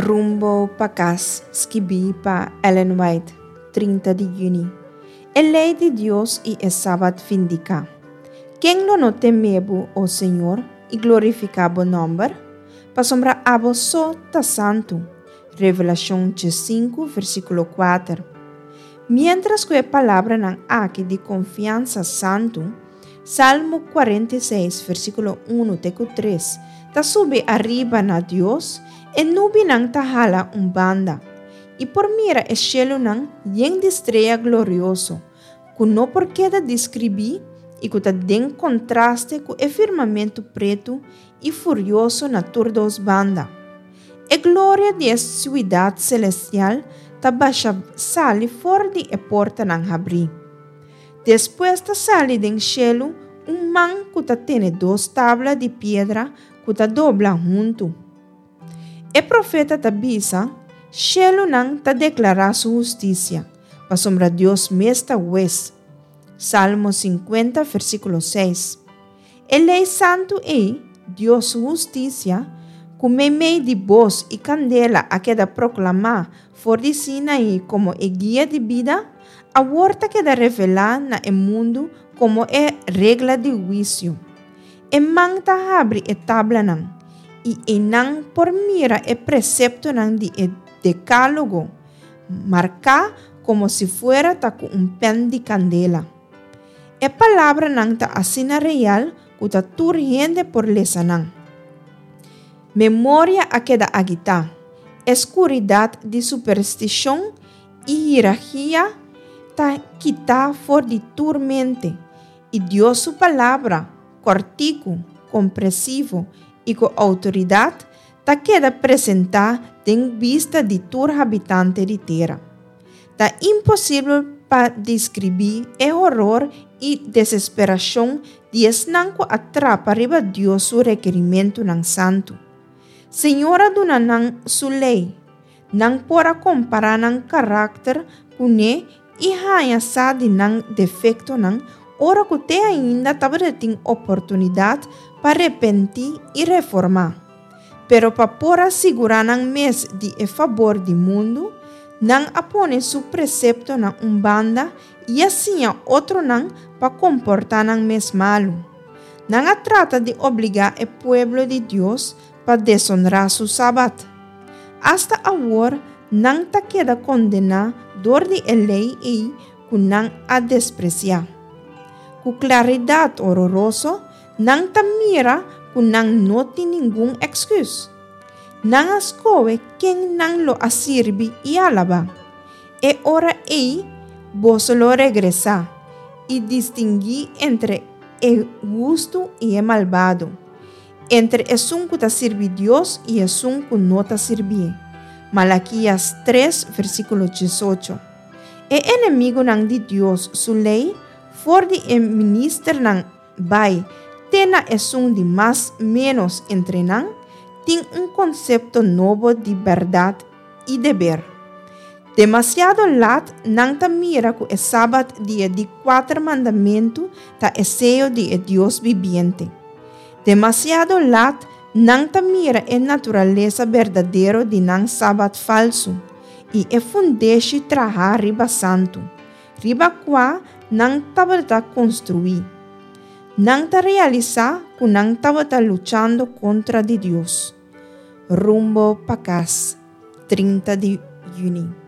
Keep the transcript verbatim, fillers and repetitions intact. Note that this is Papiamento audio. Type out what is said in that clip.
Rumbo pa Kas, skibí pa Ellen White, trinta di yüni. E lei di Dios i e Sabat vindiká. Ken lo no teme bo, o Señor, i glorifiká bo nòmber? Pasobra abo so ta santu. Revelashon sinku, versíkulo kuater. Miéntras ku e palabranan aki di konfiansa santu, Salmo kuarenta i seis, versíkulo un te ku tres, ta subi ariba na Dios, e nubianan ta hala un banda, i por mira e shelunan yen di strea glorioso, ku no por keda deskribí i ku ta den kontraste ku e firmamentu pretu i furioso na tur dos banda. E gloria di e siudat selestial ta basha sali for di e portanan habrí. Despues ta sali den shelu un man ku ta tene dos tabla di piedra ku ta dobla huntu. E profeta ta bisa, shelunan ta deklará su hustisia, pasobra Dios mes ta hues. Salmo sinkuenta, versíkulo seis. E lei santu ei, Dios su hustisia, ku meimei di bos i kandela a keda proklamá for di Sinaí komo e guia di bida, awor ta keda revelá na e mundu komo e regla di huisio. E man ta habri e tablanan, i einan por mira e preseptonan di e Dekálogo, marká komo si fuera ta ku un pèn di kandela. E palabranan ta asina real ku ta tur hende por lesa nan. Memoria a keda agitá. E skuridat di superstishon i hierarkia ta kitá for di tur mente, i Dios su palabra, kòrtiku, komprensivo i ku outoridat, ta keda presentá den bista di tur habitante di tera. Ta imposibel pa deskribí e horor i desesperashon di esnan ku a trapa riba Dios su rekerimentunan santu. Señor a duna nan su lei. Nan por a kompará nan karakter kuné i haña sa di nan defektonan ora ku te ainda tabatin oportunidat pa arepentí i reformá. Pero pa por a sigurá nan mes di e fabor di mundu, nan a pone su preseptonan un banda i a siña otronan pa komportá nan mes malu. Nan a trata di obligá e pueblo di Dios pa desonrá su Sabat. Asta awor nan ta keda kondená dor di e lei ei ku nan a despresiá. Ku klaridat hororoso, nan ta mira ku nan no tin ningun èksküs. Nan a skohe ken nan lo a sirbi i alabá. E ora ei boso lo regresá i distinguí entre e hustu i e malbado, entre esun ku ta sirbi Dios i esun ku no ta sirbié. Malakias tres, versíkulo diesocho. E enemigunan di Dios su lei, for di e ministernan bai te na esun di mas ménos entre nan, tin un konsepto nobo di bèrdat i deber. Demasiado lat nan ta mira ku e Sabat di e di kuater mandamentu ta e seyo di e Dios bibiente. Demasiado lat nan ta mira e naturalesa berdadero di nan Sabat falsu i e fundeshi trahá riba santu, riba kua nan tabata konstruí. Nan ta realisá ku nan tabata luchando kontra di Dios. Rumbo pa Kas, trinta di yüni.